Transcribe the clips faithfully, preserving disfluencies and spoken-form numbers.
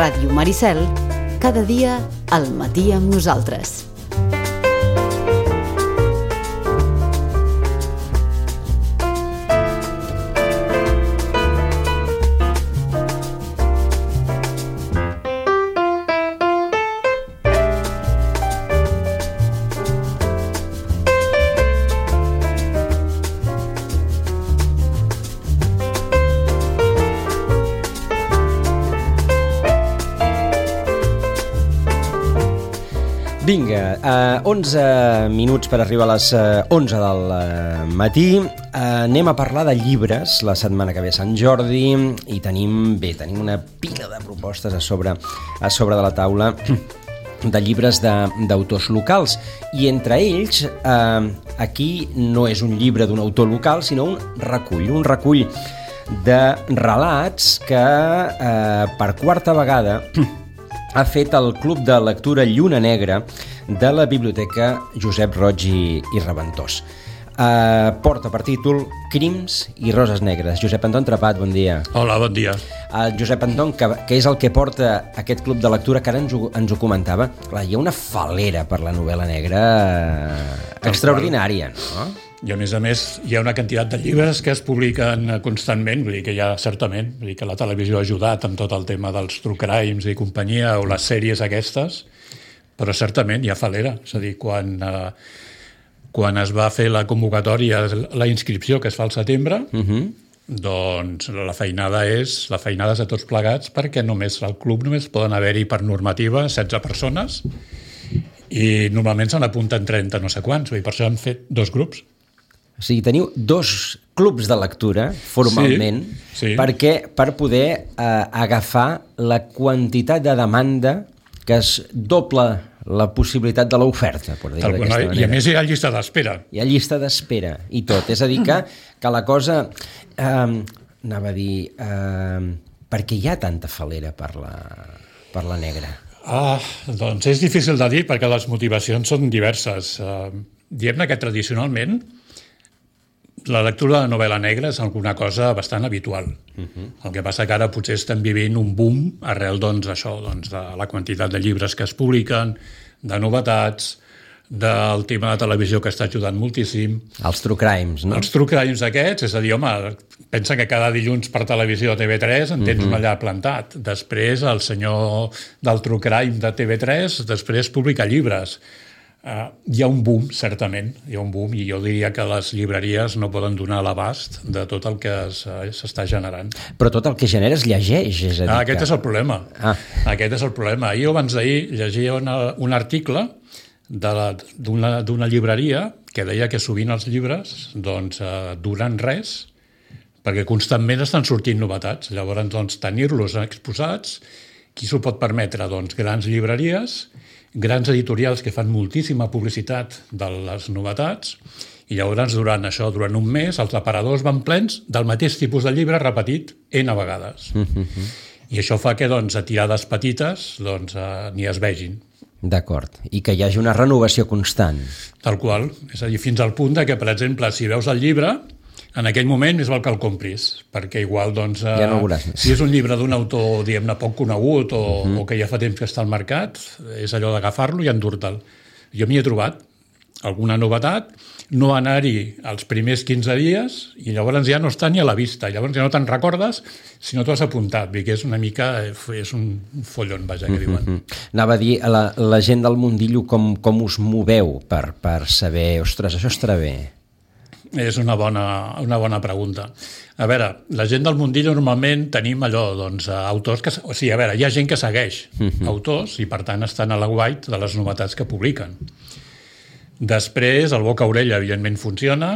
Ràdio Maricel, cada dia al matí amb nosaltres. Vinga, uh, onze minuts per arribar a les uh, onze del uh, matí. Uh, anem a parlar de llibres la setmana que ve a Sant Jordi i tenim, bé, tenim una pila de propostes a sobre, a sobre de la taula de llibres d'autors locals. I entre ells, uh, aquí no és un llibre d'un autor local, sinó un recull, un recull de relats que uh, per quarta vegada ha fet el Club de Lectura Lluna Negra de la Biblioteca Josep Roig i, i Reventós. Uh, porta per títol Crims i Roses Negres. Josep Anton Trepat, bon dia. Hola, bon dia. Uh, Josep Anton, que, que és el que porta aquest Club de Lectura, que ara ens ho, ens ho comentava. Clar, hi ha una falera per la novel·la negra extraordinària, no? I a més a més hi ha una quantitat de llibres que es publiquen constantment, vull dir que ja certament, vull dir que la televisió ha ajudat amb tot el tema dels true crimes i companyia, o les sèries aquestes, però certament hi ha falera. És a dir, quan, eh, quan es va fer la convocatòria, la inscripció que es fa al setembre, uh-huh. doncs la feinada és, la feinada és a tots plegats, perquè només al club només poden haver-hi per normativa setze persones i normalment se n'apunten trenta no sé quants, vull dir, per això han fet dos grups. O sigui, teniu dos clubs de lectura, formalment, sí, sí. perquè per poder eh, agafar la quantitat de demanda que es dobla la possibilitat de l'oferta, per dir-ho d'aquesta manera. I a més hi ha llista d'espera. Hi ha llista d'espera i tot. És a dir, que, que la cosa... Eh, anava a dir... Eh, perquè hi ha tanta falera per la, per la negra? Ah, doncs és difícil de dir perquè les motivacions són diverses. Uh, diguem-ne que tradicionalment la lectura de la novel·la negra és alguna cosa bastant habitual. Uh-huh. El que passa que ara potser estem vivint un boom arrel doncs, això, doncs, de la quantitat de llibres que es publiquen, de novetats, del tema de televisió que està ajudant moltíssim. Els true crimes, no? Els true crimes aquests, és a dir, home, pensa que cada dilluns per televisió a T V tres en tens uh-huh. un allà plantat. Després el senyor del true crime de T V tres després publica llibres. Uh, hi ha un boom, certament, hi ha un boom, i jo diria que les llibreries no poden donar l'abast de tot el que s'està generant. Però tot el que genera es llegeix, és a dir ah, Aquest que... és el problema. Ah. Aquest és el problema. Ahir abans d'ahir llegia una, un article d'una llibreria que deia que sovint els llibres doncs, uh, duren res perquè constantment estan sortint novetats. Llavors, doncs, tenir-los exposats, qui s'ho pot permetre? Doncs grans llibreries, grans editorials que fan moltíssima publicitat de les novetats, i llavors durant això, durant un mes, els aparadors van plens del mateix tipus de llibre repetit N vegades. Uh-huh. I això fa que doncs, a tirades petites doncs, eh, n'hi es vegin. D'acord. I que hi hagi una renovació constant. Tal qual. És a dir, fins al punt de que, per exemple, si veus el llibre, en aquell moment més val que el compris, perquè igual, doncs, ja no veuràs més. Si és un llibre d'un autor, diguem-ne, poc conegut o, uh-huh. o que ja fa temps que està al mercat, és allò d'agafar-lo i endur-te'l. Jo m'hi he trobat alguna novetat, no anar-hi els primers quinze dies i llavors ja no està ni a la vista. Llavors ja no te'n recordes si no t'ho has apuntat, que és una mica, és un follon, vaja, que diuen. Uh-huh. Anava a dir, la, la gent del mundillo, com, com us moveu per, per saber, ostres, això estarà bé? És una bona, una bona pregunta. A veure, la gent del mundillo normalment tenim allò, doncs, autors que... O sigui, a veure, hi ha gent que segueix uh-huh. autors i, per tant, estan a la guait de les novetats que publiquen. Després, el boca-orella, evidentment, funciona.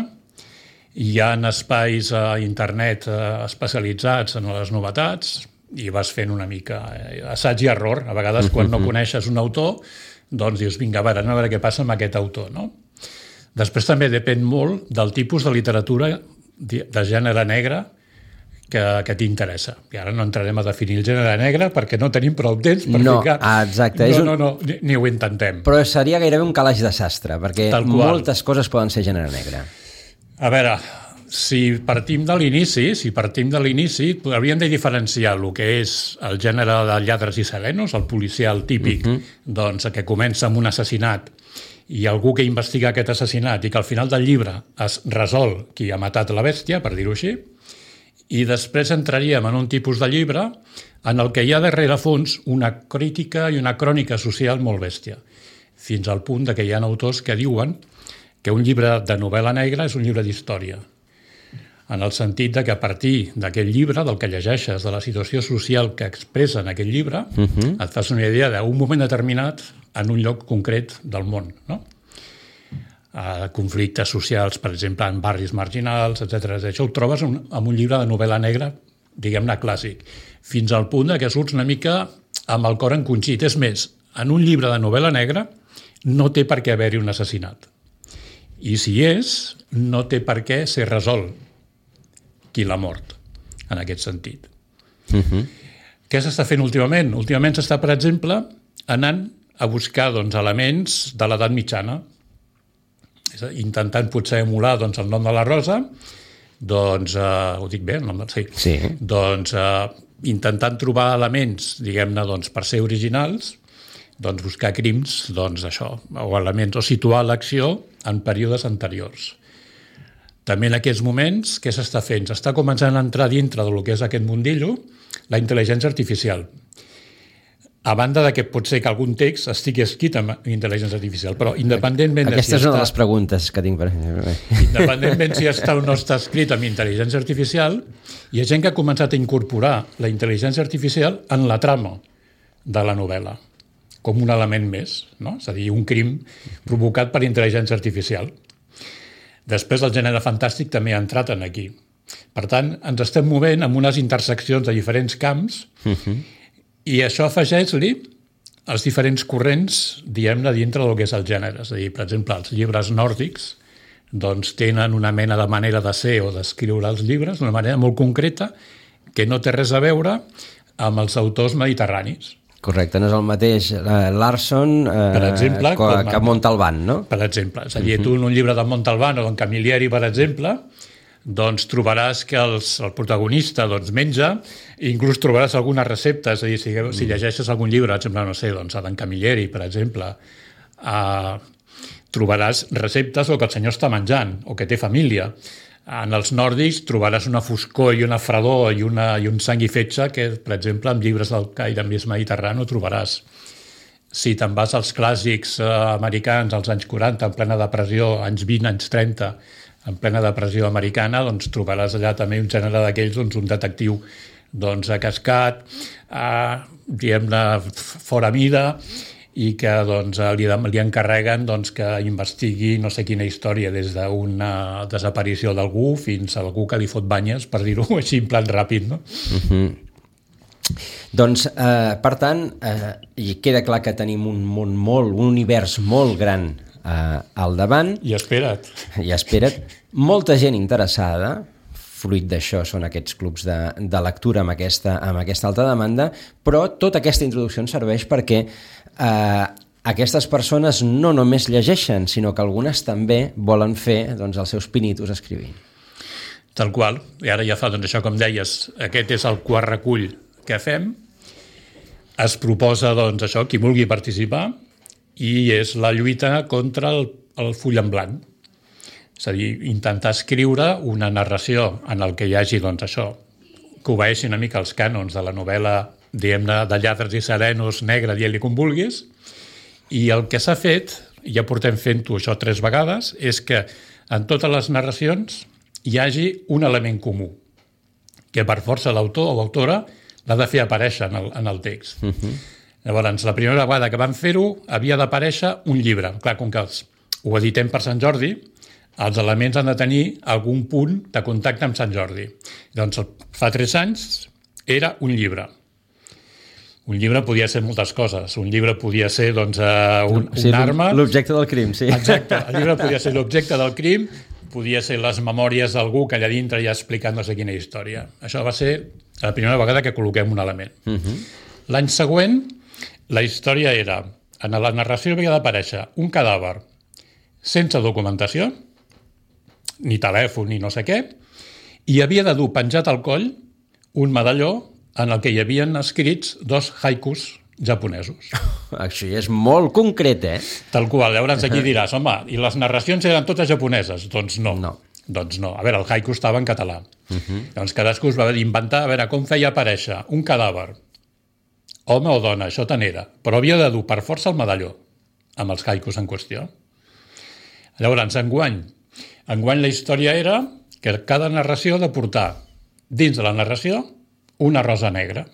Hi ha espais a internet especialitzats en les novetats i vas fent una mica assaig i error. A vegades, quan no coneixes un autor, doncs dius, vinga, a veure, a veure què passa amb aquest autor, no? Després també depèn molt del tipus de literatura de gènere negre que, que t'interessa. I ara no entrarem a definir el gènere negre perquè no tenim prou temps per no, ficar... Exacte. No, no, no, ni, ni ho intentem. Però seria gairebé un calaix de sastre, perquè moltes coses poden ser gènere negre. A veure, si partim de l'inici, si partim de l'inici, hauríem de diferenciar el que és el gènere de lladres i serenos, el policial típic, uh-huh. doncs, que comença amb un assassinat i algú que investiga aquest assassinat i que al final del llibre es resol qui ha matat la bèstia, per dir-ho així, i després entraríem en un tipus de llibre en el que hi ha darrere fons una crítica i una crònica social molt bèstia, fins al punt de que hi ha autors que diuen que un llibre de novel·la negra és un llibre d'història, en el sentit de que a partir d'aquest llibre, del que llegeixes, de la situació social que expressa en aquest llibre, uh-huh. et fas una idea d'un moment determinat en un lloc concret del món, no? Uh, conflictes socials, per exemple, en barris marginals, etcètera. Això ho trobes en, en un llibre de novel·la negra, diguem-ne clàssic, fins al punt que surts una mica amb el cor encongit. És més, en un llibre de novel·la negra no té per què haver-hi un assassinat. I si és, no té per què ser resolt qui l'ha mort, en aquest sentit. Uh-huh. Què s'està fent últimament? Últimament s'està, per exemple, anant a buscar doncs, elements de l'edat mitjana, intentant potser emular doncs, el nom de la Rosa, doncs, eh, ho dic bé, el nom de... Sí. Sí. Doncs, eh, intentant trobar elements, diguem-ne, doncs, per ser originals, doncs, buscar crims, doncs, això, o elements, o situar l'acció en períodes anteriors. També en aquests moments, què s'està fent? S'està començant a entrar dintre del que és aquest mundillo la intel·ligència artificial. A banda de que pot ser que algun text estigui escrit amb intel·ligència artificial, però independentment... Aquesta de si és una està, de les preguntes que tinc per... independentment si està o no està escrit amb intel·ligència artificial, hi ha gent que ha començat a incorporar la intel·ligència artificial en la trama de la novel·la, com un element més, no? És a dir, un crim provocat per intel·ligència artificial. Després el gènere fantàstic també ha entrat en aquí. Per tant, ens estem movent amb unes interseccions de diferents camps uh-huh. i això afegeix-li els diferents corrents, diguem-ne, dintre del que és el gènere. És a dir, per exemple, els llibres nòrdics doncs, tenen una mena de manera de ser o d'escriure els llibres d'una manera molt concreta que no té res a veure amb els autors mediterranis. Correcte, no és el mateix uh, Larson uh, per exemple, que, que Montalbán, no? Per exemple, és a dir, tu en un llibre de Montalbán o d'en Camilleri, per exemple, doncs trobaràs que els, el protagonista doncs, menja i inclús trobaràs alguna recepta, és a dir, si, si llegeixes algun llibre, per exemple, no sé, doncs, d'en Camilleri, per exemple, uh, trobaràs receptes o que el senyor està menjant o que té família. En els nòrdics trobaràs una foscor i una fredor i, una, i un sang i fetge que, per exemple, en llibres del caire més mediterrani ho trobaràs. Si te'n vas als clàssics eh, americans als anys quaranta, en plena depressió, anys vint, anys trenta, en plena depressió americana, doncs trobaràs allà també un gènere d'aquells, doncs un detectiu doncs, cascat, eh, diguem-ne, fora mida, i que doncs, li, li encarreguen doncs, que investigui no sé quina història, des d'una desaparició d'algú fins a algú que li fot banyes, per dir-ho així en plan ràpid. No? Uh-huh. Doncs, eh, per tant, eh, i queda clar que tenim un món molt, un univers molt gran eh, al davant. I espera't. I espera't. Molta gent interessada, fruit d'això són aquests clubs de, de lectura amb aquesta, amb aquesta alta demanda, però tota aquesta introducció ens serveix perquè eh, aquestes persones no només llegeixen, sinó que algunes també volen fer doncs, els seus pinitos escrivint. Tal qual. I ara ja fa, doncs això com deies, aquest és el quart recull que fem. Es proposa, doncs, això, qui vulgui participar, i és la lluita contra el, el full en blanc. És a dir, intentar escriure una narració en el que hi hagi, doncs, això, que obeeixi una mica els cànons de la novel·la, diguem-ne, de lladres i serenos, negra, dient-li com vulguis, i el que s'ha fet, ja portem fent-ho això tres vegades, és que en totes les narracions hi hagi un element comú, que per força l'autor o autora l'ha de fer aparèixer en el, en el text. Uh-huh. Llavors, la primera vegada que vam fer-ho havia d'aparèixer un llibre. Clar, com que els, ho editem per Sant Jordi, els elements han de tenir algun punt de contacte amb Sant Jordi. Doncs fa tres anys era un llibre. Un llibre podia ser moltes coses. Un llibre podia ser doncs, un, sí, un arma. L'objecte del crim, sí. Exacte. El llibre podia ser l'objecte del crim, podia ser les memòries d'algú que allà dintre ja ha explicat no sé quina història. Això va ser la primera vegada que col·loquem un element. Uh-huh. L'any següent, la història era, en la narració havia d'aparèixer un cadàver sense documentació, ni telèfon, ni no sé què, i havia de dur penjat al coll un medalló en el que hi havien escrits dos haikus japonesos. Això ja és molt concret, eh? Tal qual. Llavors aquí diràs, home, i les narracions eren totes japoneses? Doncs no. No. Doncs no. A veure, el haiku estava en català. Uh-huh. Llavors cadascú es va inventar a veure com feia aparèixer un cadàver, home o dona, això tant era, però havia de dur per força el medalló amb els haikus en qüestió. Llavors, enguany, enguany la història era que cada narració ha de portar dins de la narració una rosa negra.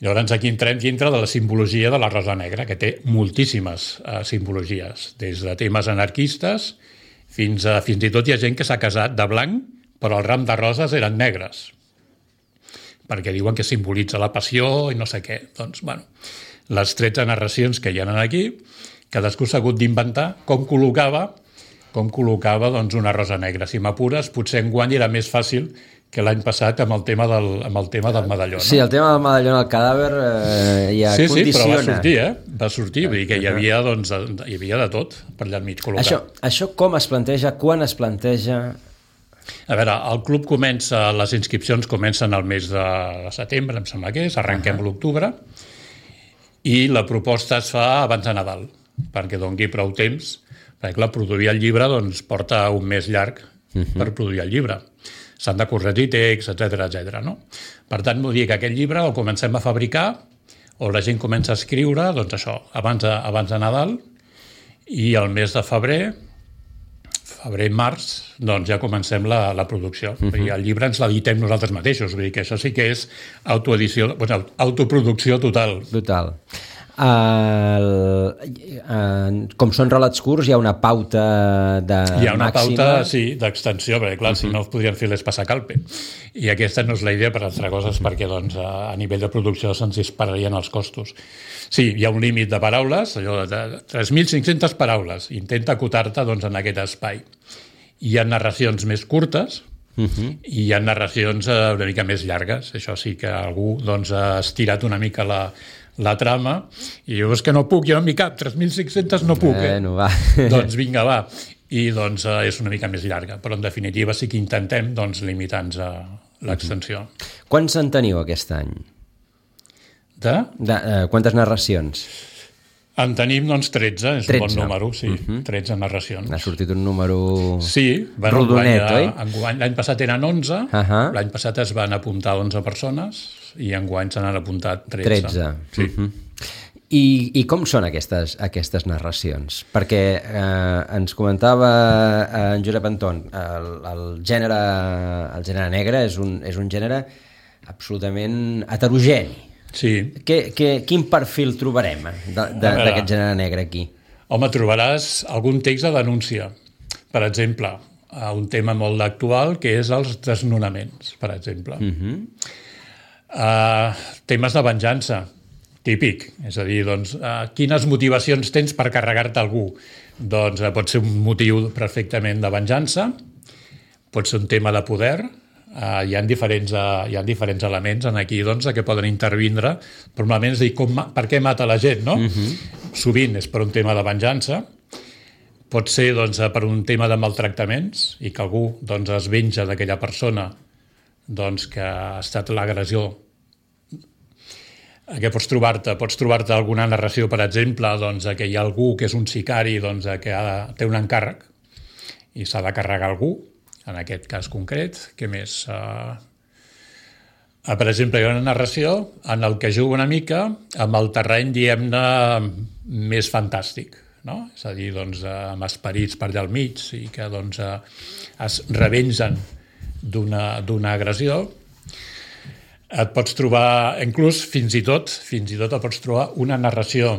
Llavors aquí entrem dintre de la simbologia de la rosa negra, que té moltíssimes eh, simbologies, des de temes anarquistes fins a fins i tot hi ha gent que s'ha casat de blanc, però el ram de roses eren negres, perquè diuen que simbolitza la passió i no sé què. Doncs, bueno, les tretze narracions que hi ha aquí, cadascú s'ha hagut d'inventar com col·locava, com col·locava doncs, una rosa negra. Si m'apures, potser enguany era més fàcil que l'any passat amb el tema del, amb el tema del medalló. No? Sí, el tema del medalló en el cadàver eh, ja sí, condiciona. Sí, però va sortir, eh? Va sortir, vull dir que hi havia, doncs, hi havia de tot per allà enmig col·locat. Això, això com es planteja, quan es planteja? A veure, el club comença, les inscripcions comencen al mes de setembre, em sembla que és, arrenquem uh-huh. l'octubre, i la proposta es fa abans de Nadal, perquè doni prou temps, perquè clar, produir el llibre doncs, porta un mes llarg uh-huh. per produir el llibre. S'han de corregir text, etcètera, etcètera. No? Per tant, vull dir que aquest llibre el comencem a fabricar o la gent comença a escriure, doncs això, abans de, abans de Nadal, i el mes de febrer, febrer i març, doncs ja comencem la, la producció. Uh-huh. I el llibre ens l'editem nosaltres mateixos, vull dir que això sí que és autoedició, bueno, autoproducció total. Total. Uh, uh, com són relats curts, hi ha una pauta de Hi ha una màxima... pauta, sí, d'extensió, perquè clar, uh-huh. si no els podrien fer les passacalpe. I aquesta no és la idea per altra cosa, és perquè doncs, a, a nivell de producció se'ns dispararien els costos. Sí, hi ha un límit de paraules, allò de tres mil cinc-centes paraules. Intenta acotar-te doncs, en aquest espai. Hi ha narracions més curtes, uh-huh. i hi ha narracions eh, una mica més llargues. Això sí que algú doncs, ha estirat una mica la, la trama i diu, és que no puc, jo no m'hi cap, tres mil cinc-centes no puc. Eh? Bueno, va. Doncs vinga, va. I doncs eh, és una mica més llarga, però en definitiva sí que intentem doncs, limitar-nos a l'extensió. Uh-huh. Quants en teniu aquest any? De? De uh, quantes narracions? En tenim, doncs, tretze, és tretze. Un bon número, sí, uh-huh. tretze narracions. N'ha sortit un número sí, bueno, rodonet, oi? Enguany, l'any passat eren onze, uh-huh. l'any passat es van apuntar onze persones i enguany se n'han apuntat tretze. tretze. Sí. Uh-huh. I, I com són aquestes, aquestes narracions? Perquè eh, ens comentava eh, en Josep Anton, el, el, gènere, el gènere negre és un, és un gènere absolutament heterogeni. Sí. Que, que, quin perfil trobarem d'aquest gènere negre aquí? Home, trobaràs algun text de denúncia. Per exemple, un tema molt actual que és els desnonaments, per exemple. Uh-huh. uh, temes de venjança, típic. És a dir, doncs, uh, quines motivacions tens per carregar-te algú? Doncs uh, pot ser un motiu perfectament de venjança, pot ser un tema de poder. Uh, hi ha diferents, uh, hi ha diferents elements en aquí doncs, que poden intervindre, però normalment és dir com, per què mata la gent, no? Uh-huh. Sovint és per un tema de venjança, pot ser doncs, per un tema de maltractaments i que algú doncs, es venja d'aquella persona doncs, que ha estat l'agressió. Que pots trobar-te pots trobar-te alguna narració, per exemple, doncs, que hi ha algú que és un sicari doncs, que ha, té un encàrrec i s'ha de carregar algú. En aquest cas concret, què més? Uh, uh, per exemple, hi ha una narració en el que juga una mica amb el terreny, diguem-ne, més fantàstic, no? És a dir, doncs, uh, amb esperits per allà al mig i que doncs, uh, es revengen d'una d'una agressió. Et pots trobar, inclús fins i tot, fins i tot et pots trobar una narració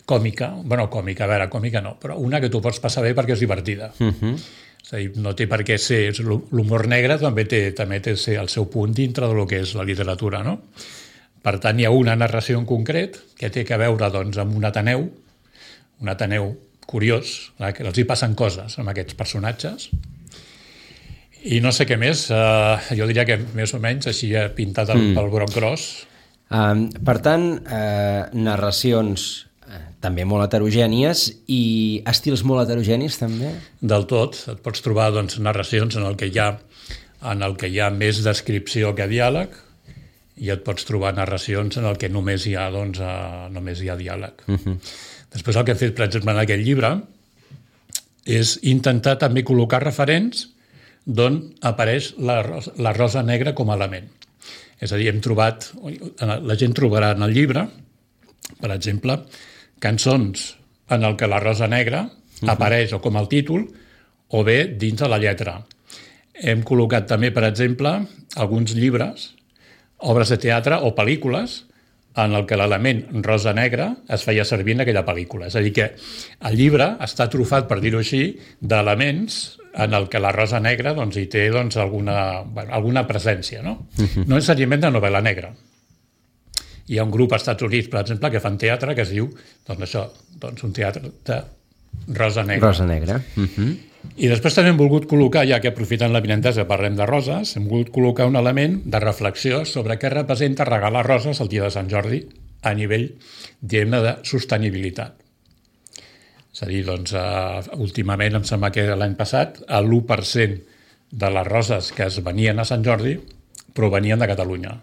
còmica, bueno, còmica, a veure, còmica no, però una que tu pots passar bé perquè és divertida. Uh-huh. És a dir, no té per què ser... L'humor negre també té, també té el seu punt dintre del que és la literatura, no? Per tant, hi ha una narració en concret que té a veure doncs, amb un Ateneu, un Ateneu curiós, que els hi passen coses amb aquests personatges. I no sé què més, uh, jo diria que més o menys així ha pintat el, mm. pel broc gros. Um, per tant, uh, narracions també molt heterogènies, i estils molt heterogenis també? Del tot. Et pots trobar doncs, narracions en el que hi ha en el que hi ha més descripció que diàleg, i et pots trobar narracions en el que només hi ha, doncs, uh, només hi ha diàleg. Uh-huh. Després el que he fet, per exemple, en aquest llibre és intentar també col·locar referents d'on apareix la, la rosa negra com a element. És a dir, hem trobat, la gent trobarà en el llibre, per exemple, cançons en el que la rosa negra uh-huh. apareix o com el títol o bé dins de la lletra. Hem col·locat també, per exemple, alguns llibres, obres de teatre o pel·lícules en el que l'element rosa-negra es feia servir en aquella pel·lícula. És a dir, que el llibre està trufat, per dir-ho així, d'elements en el que la rosa negra doncs, hi té doncs, alguna, bueno, alguna presència. No? Uh-huh. No necessàriament de novel·la negra. Hi ha un grup als Estats Units, per exemple, que fan teatre que es diu doncs això, doncs un teatre de rosa negra. Rosa negra. Uh-huh. I després també hem volgut col·locar, ja que aprofitant la vinentesa parlem de roses, hem volgut col·locar un element de reflexió sobre què representa regalar roses el dia de Sant Jordi a nivell, diguem-ne, de sostenibilitat. És a dir, doncs, uh, últimament, em sembla que l'any passat, l'u per cent de les roses que es venien a Sant Jordi provenien de Catalunya.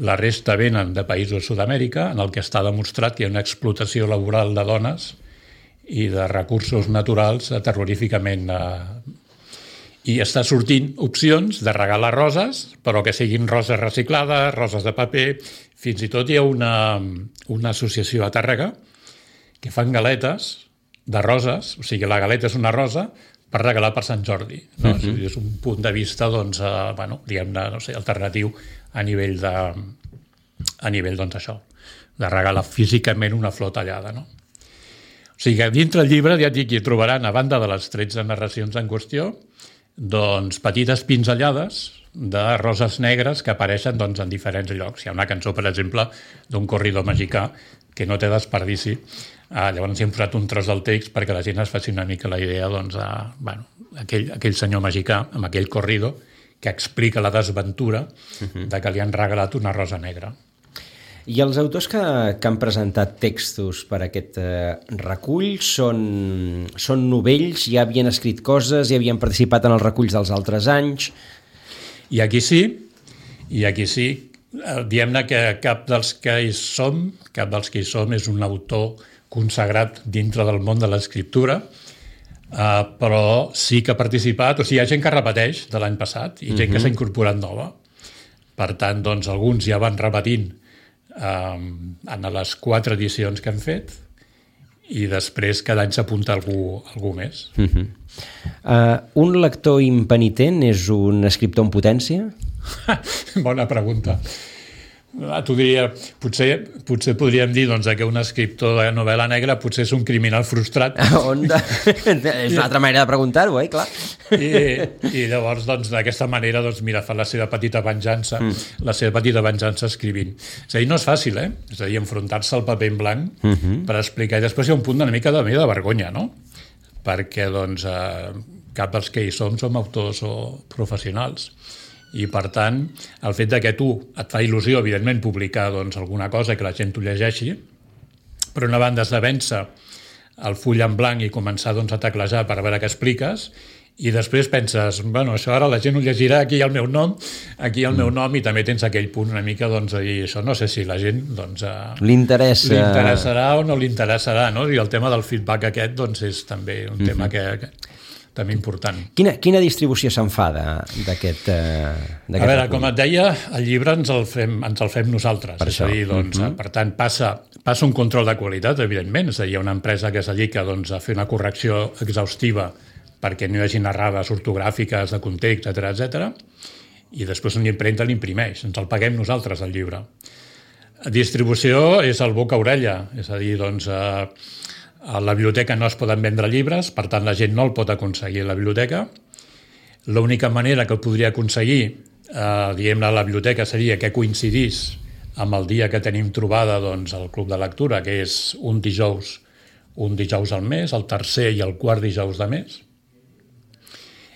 La resta venen de països de Sud-amèrica, en el que està demostrat que hi ha una explotació laboral de dones i de recursos naturals terroríficament... Eh, I està sortint opcions de regalar roses, però que siguin roses reciclades, roses de paper. Fins i tot hi ha una, una associació a Tàrrega que fan galetes de roses, o sigui, la galeta és una rosa per regalar per Sant Jordi. No? Uh-huh. És un punt de vista, doncs, eh, bueno, diguem-ne, no sé, alternatiu a nivell de... a nivell, doncs, això, de regalar físicament una flor tallada, no? O sigui que dintre el llibre, ja et dic, hi trobaran, a banda de les tretze narracions en qüestió, doncs petites pinzellades de roses negres que apareixen doncs, en diferents llocs. Hi ha una cançó, per exemple, d'un corridor mexicà que no té desperdici. Ah, llavors hi hem posat un tros del text perquè la gent es faci una mica la idea doncs, a, bueno, aquell, aquell senyor mexicà amb aquell corrido que explica la desventura uh-huh. de que li han regalat una rosa negra. I els autors que, que han presentat textos per a aquest eh, recull són, són novells, ja havien escrit coses, ja havien participat en els reculls dels altres anys? I aquí sí, i aquí sí. Diem-ne que cap dels que hi som, cap dels que hi som és un autor consagrat dintre del món de l'escriptura, uh, però sí que ha participat, o sigui, hi ha gent que repeteix de l'any passat i gent uh-huh. que s'ha incorporat nova. Per tant, doncs, alguns ja van repetint um, en les quatre edicions que han fet i després cada any s'apunta algú, algú més. Uh-huh. Uh, un lector impenitent és un escriptor en potència? Bona pregunta. T'ho diria, potser, potser podríem dir doncs, que un escriptor de novel·la negra potser és un criminal frustrat. Onda? És una altra manera de preguntar-ho, eh? Clar. I, i llavors, doncs, d'aquesta manera, doncs, mira, fa la seva petita venjança, mm. la seva petita venjança escrivint. És a dir, no és fàcil, eh? És a dir, enfrontar-se al paper en blanc mm-hmm. per explicar. I després hi ha un punt una mica de, de vergonya, no? Perquè, doncs, eh, cap dels que hi som som autors o professionals. I, per tant, el fet de que tu et fa il·lusió, evidentment, publicar doncs, alguna cosa que la gent t'ho llegeixi, per una banda has de vèncer el full en blanc i començar doncs, a teclejar per veure què expliques, i després penses, bueno, això ara la gent ho llegirà, aquí hi ha el meu nom, aquí hi ha el meu nom, i també tens aquell punt una mica doncs, de dir, això no sé si la gent doncs, li interessa. li interessarà o no li interessarà, no? I el tema del feedback aquest doncs, és també un mm-hmm. tema que... que també important. Quina, quina distribució se'n fa d'aquest eh, A veure, recull? Com et deia, el llibre ens el fem, ens el fem nosaltres. Per és això. A dir, doncs, mm-hmm. per tant, passa, passa un control de qualitat, evidentment. És a dir, hi ha una empresa que es dedica doncs, a fer una correcció exhaustiva perquè no hi hagi errades ortogràfiques, de context, etcètera, etcètera. I després una impremta l'imprimeix. Ens el paguem nosaltres, el llibre. La distribució és el boca-orella. És a dir, doncs... Eh, a la biblioteca no es poden vendre llibres, per tant la gent no el pot aconseguir a la biblioteca. L'única manera que el podria aconseguir, eh, diguem-ne, a la biblioteca seria que coincidís amb el dia que tenim trobada doncs, al Club de Lectura, que és un dijous, un dijous al mes, el tercer i el quart dijous de mes.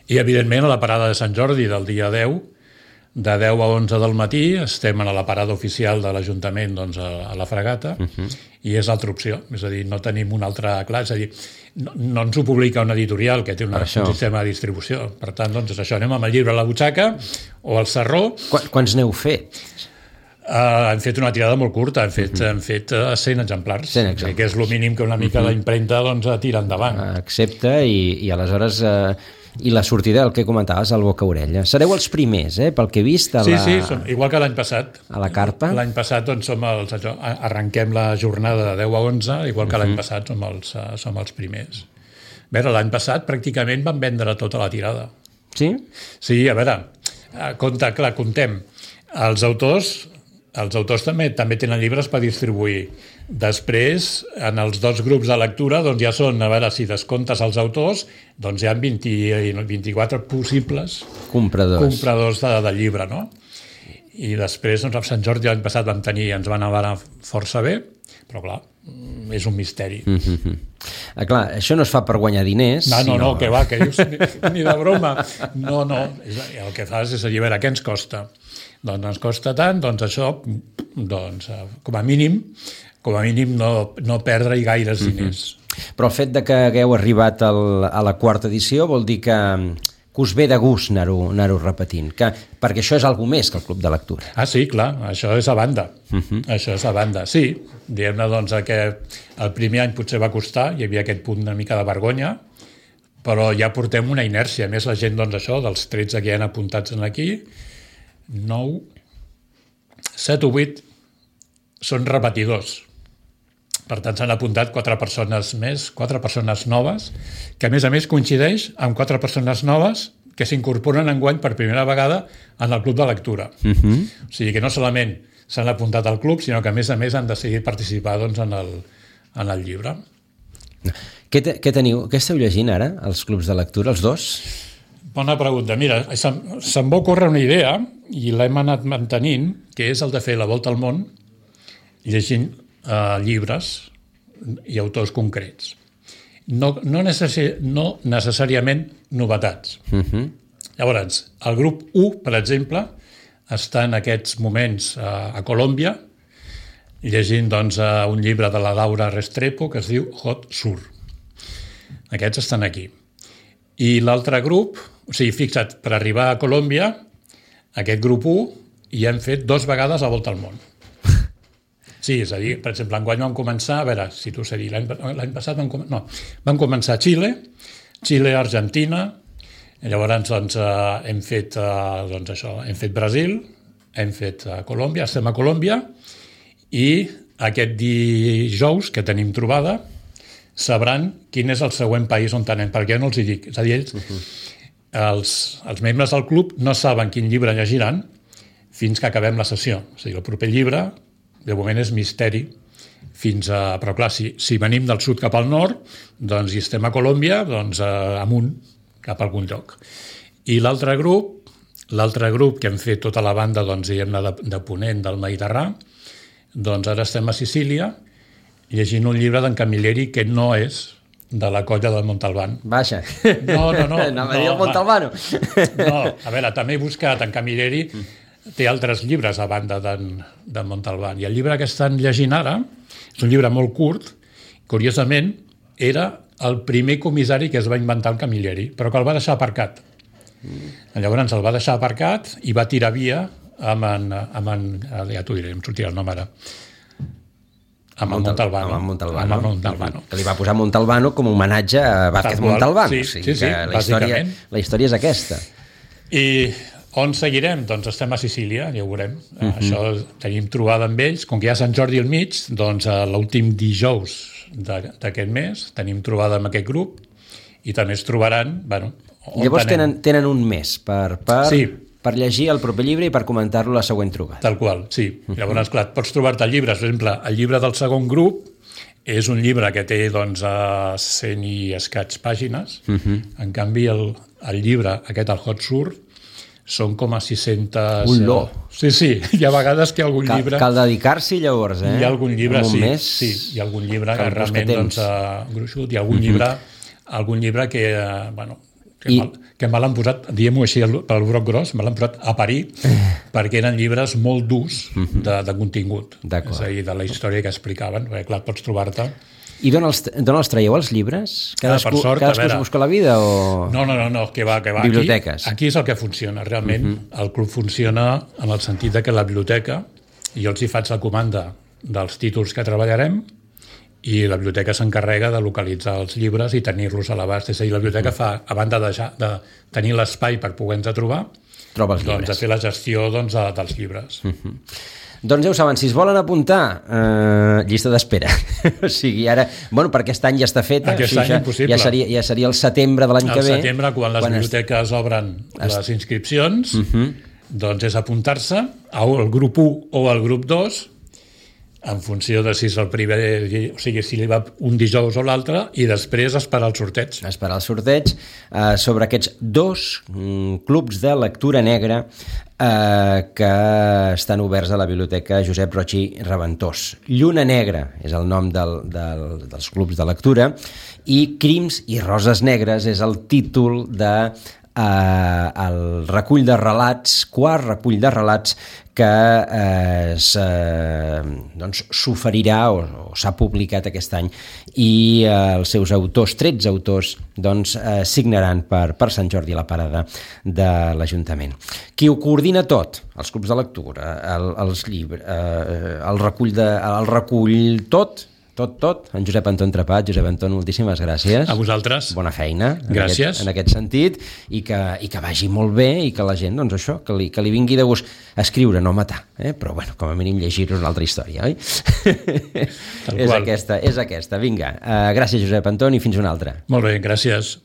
I, evidentment, a la parada de Sant Jordi del dia deu, de deu a onze del matí, estem a la parada oficial de l'Ajuntament, doncs, a, a la Fragata, uh-huh. i és l'altra opció. És a dir, no tenim una altra classe. És a dir, no, no ens ho publica una editorial que té una, un sistema de distribució. Per tant, doncs, és això. Anem amb el llibre a la butxaca o al sarró. Qu Quants n'heu fet? Uh, hem fet una tirada molt curta, hem fet, uh-huh. hem fet uh, cent exemplars, cent exemplars. Que és el mínim que una mica uh-huh. la impremta doncs, tira endavant. Accepta i, i aleshores... Uh, i la sortida, el que comentaves, al boca-orella. Sereu els primers, eh, pel que he vist. A la... Sí, sí, som, igual que l'any passat. A la carpa. L'any passat doncs, som els, arrenquem la jornada de deu a onze, igual que uh-huh. l'any passat som els, uh, som els primers. A veure, l'any passat pràcticament vam vendre tota la tirada. Sí? Sí, a veure, compte, clar, comptem. Els autors... Els autors també també tenen llibres per distribuir. Després, en els dos grups de lectura, doncs ja són, a veure, si descomptes els autors, doncs hi ha vint, vint-i-quatre possibles compradors, compradors de, de llibre, no? I després, doncs, a Sant Jordi l'any passat vam tenir, ens van anar força bé, però clar, és un misteri. Mm-hmm. Ah, clar, això no es fa per guanyar diners. No, no, sinó... no, que va, que dius, ni, ni de broma. No, no, el que fas és dir, a veure, què ens costa? Doncs ens costa tant, doncs això, doncs, com a mínim, com a mínim no, no perdre-hi gaires diners. Mm-hmm. Però el fet de que hagueu arribat al, a la quarta edició vol dir que, que us ve de gust anar-ho anar-ho repetint, que, perquè això és alguna més que el Club de Lectura. Ah, sí, clar, això és a banda. Mm-hmm. Això és a banda, sí. Diguem-ne, doncs, que el primer any potser va costar, hi havia aquest punt una mica de vergonya, però ja portem una inèrcia. A més, la gent, doncs, això, dels tretze que hi ha apuntats aquí, nou, set o vuit són repetidors. Per tant, s'han apuntat quatre persones més, quatre persones noves, que a més a més coincideix amb quatre persones noves que s'incorporen enguany per primera vegada en el club de lectura. Uh-huh. O sigui que no solament s'han apuntat al club, sinó que a més a més han decidit participar doncs, en, el, en el llibre. Què, te, què teniu? Què esteu llegint ara, els clubs de lectura, els dos? Bona pregunta. Mira, se'm, se'm va ocórrer una idea i l'hem anat mantenint, que és el de fer la volta al món llegint eh, llibres i autors concrets. No, no, necessari, no necessàriament novetats. Uh-huh. Llavors, el grup u, per exemple, està en aquests moments a, a Colòmbia llegint doncs, un llibre de la Laura Restrepo que es diu Hot Sur. Aquests estan aquí. I l'altre grup, o sigui, fixa't, per arribar a Colòmbia, aquest grup u, hi hem fet dos vegades la volta al món. Sí, és a dir, per exemple, enguany vam començar, a veure, si t'ho sé dir, l'any passat vam, com... no, vam començar a Xile, Xile, Argentina, i llavors doncs, eh, hem fet eh, doncs això, hem fet Brasil, hem fet eh, Colòmbia, estem a Colòmbia, i aquest dijous que tenim trobada sabran quin és el següent país on anem, perquè jo no els hi dic. És a dir, ells, uh-huh. els, els membres del club no saben quin llibre llegiran fins que acabem la sessió. És a dir, el proper llibre, de moment és misteri, fins a... Però clar, si, si venim del sud cap al nord, doncs, i estem a Colòmbia, doncs amunt, cap a algun lloc. I l'altre grup, l'altre grup que hem fet tota la banda, doncs, diguem-ne, de, de Ponent del Mediterrani, doncs ara estem a Sicília, llegint un llibre d'en Camilleri que no és de la colla del Montalbán. Vaja. No, no, no. Anava a dir el Montalbano. No, a veure, també he buscat en Camilleri, té altres llibres a banda d'en de Montalbán. I el llibre que estan llegint ara és un llibre molt curt, curiosament, era el primer comissari que es va inventar el Camilleri, però que el va deixar aparcat. Mm. Llavors el va deixar aparcat i va tirar via amb en... Amb en ja t'ho diré, em sortirà el nom ara. Amb el Montalbano. Amb el Montalbano. Amb el Montalbano. Que li va posar Montalbano com un homenatge a Vázquez Montalbán. Sí, o sigui, sí, sí, la història, la història és aquesta. I on seguirem? Doncs estem a Sicília, ja ho veurem. Uh-huh. Això tenim trobada amb ells. Com que hi ha Sant Jordi al mig, doncs l'últim dijous d'aquest mes tenim trobada amb aquest grup i també es trobaran... Bueno, llavors tenen, tenen un mes per... per... Sí. per llegir el proper llibre i per comentar-lo la següent trobada. Tal qual, sí. Uh-huh. Llavors, clar, pots trobar-te el llibre. Per exemple, el llibre del segon grup és un llibre que té doncs, a cent i escaig pàgines. Uh-huh. En canvi, el, el llibre, aquest, el Hot Sur, són com a sis-centes... Uló! Sí, sí, hi ha vegades que hi ha algun cal, llibre... Cal dedicar-s'hi llavors, eh? Hi ha algun llibre, sí, mes, sí. Hi ha algun llibre que realment, doncs, uh, gruixut, hi ha algun, uh-huh. llibre, algun llibre que, uh, bueno, Que, I... mal, que me l'han posat, diguem-ho així pel broc gros, me l'han posat a parir perquè eren llibres molt durs de, de contingut. És a dir, de la història que explicaven, perquè clar, pots trobar-te... I d'on els, d'on els traieu els llibres? Cadascú, ah, sort, cadascú es busca la vida o...? No, no, no, no que va, que va. Biblioteques. Aquí, aquí és el que funciona. Realment, uh -huh. el club funciona en el sentit de que la biblioteca, jo els hi faig la comanda dels títols que treballarem, i la biblioteca s'encarrega de localitzar els llibres i tenir-los a l'abast. És a dir, la biblioteca fa, a banda de, de tenir l'espai per poder-nos trobar, troba els doncs, llibres. de fer la gestió doncs, de, dels llibres. Uh-huh. Doncs ja ho saben, si es volen apuntar, eh, llista d'espera. O sigui, ara, bueno, per aquest any ja està feta. Aquest o sigui, any ja, impossible. Ja seria, ja seria el setembre de l'any que ve. El setembre, quan les quan biblioteques es... obren es... les inscripcions, uh-huh. doncs és apuntar-se al grup u o al grup dos, en funció de si és el primer, o sigui, si li va un dijous o l'altre, i després esperar el sorteig. Esperar el sorteig eh, sobre aquests dos mm, clubs de lectura negra eh, que estan oberts a la Biblioteca Josep Roig i Reventós. Lluna Negra és el nom del, del, dels clubs de lectura i Crims i Roses Negres és el títol de eh, el recull de relats, quart recull de relats que eh, doncs, s'oferirà o, o s'ha publicat aquest any i eh, els seus autors, tretze autors, doncs, eh, signaran per, per Sant Jordi a la parada de l'Ajuntament. Qui ho coordina tot, els clubs de lectura, el, els llibres, eh, el recull de, el recull tot, tot, tot, en Josep Anton Trepat. Josep Anton, moltíssimes gràcies. A vosaltres. Bona feina. Gràcies. En aquest, en aquest sentit, i que, i que vagi molt bé i que la gent, doncs això, que li, que li vingui de gust escriure, no matar, eh? Però bueno, com a mínim llegir-ho una altra història, oi? és aquesta, és aquesta. Vinga, uh, gràcies Josep Anton i fins una altra. Molt bé, gràcies.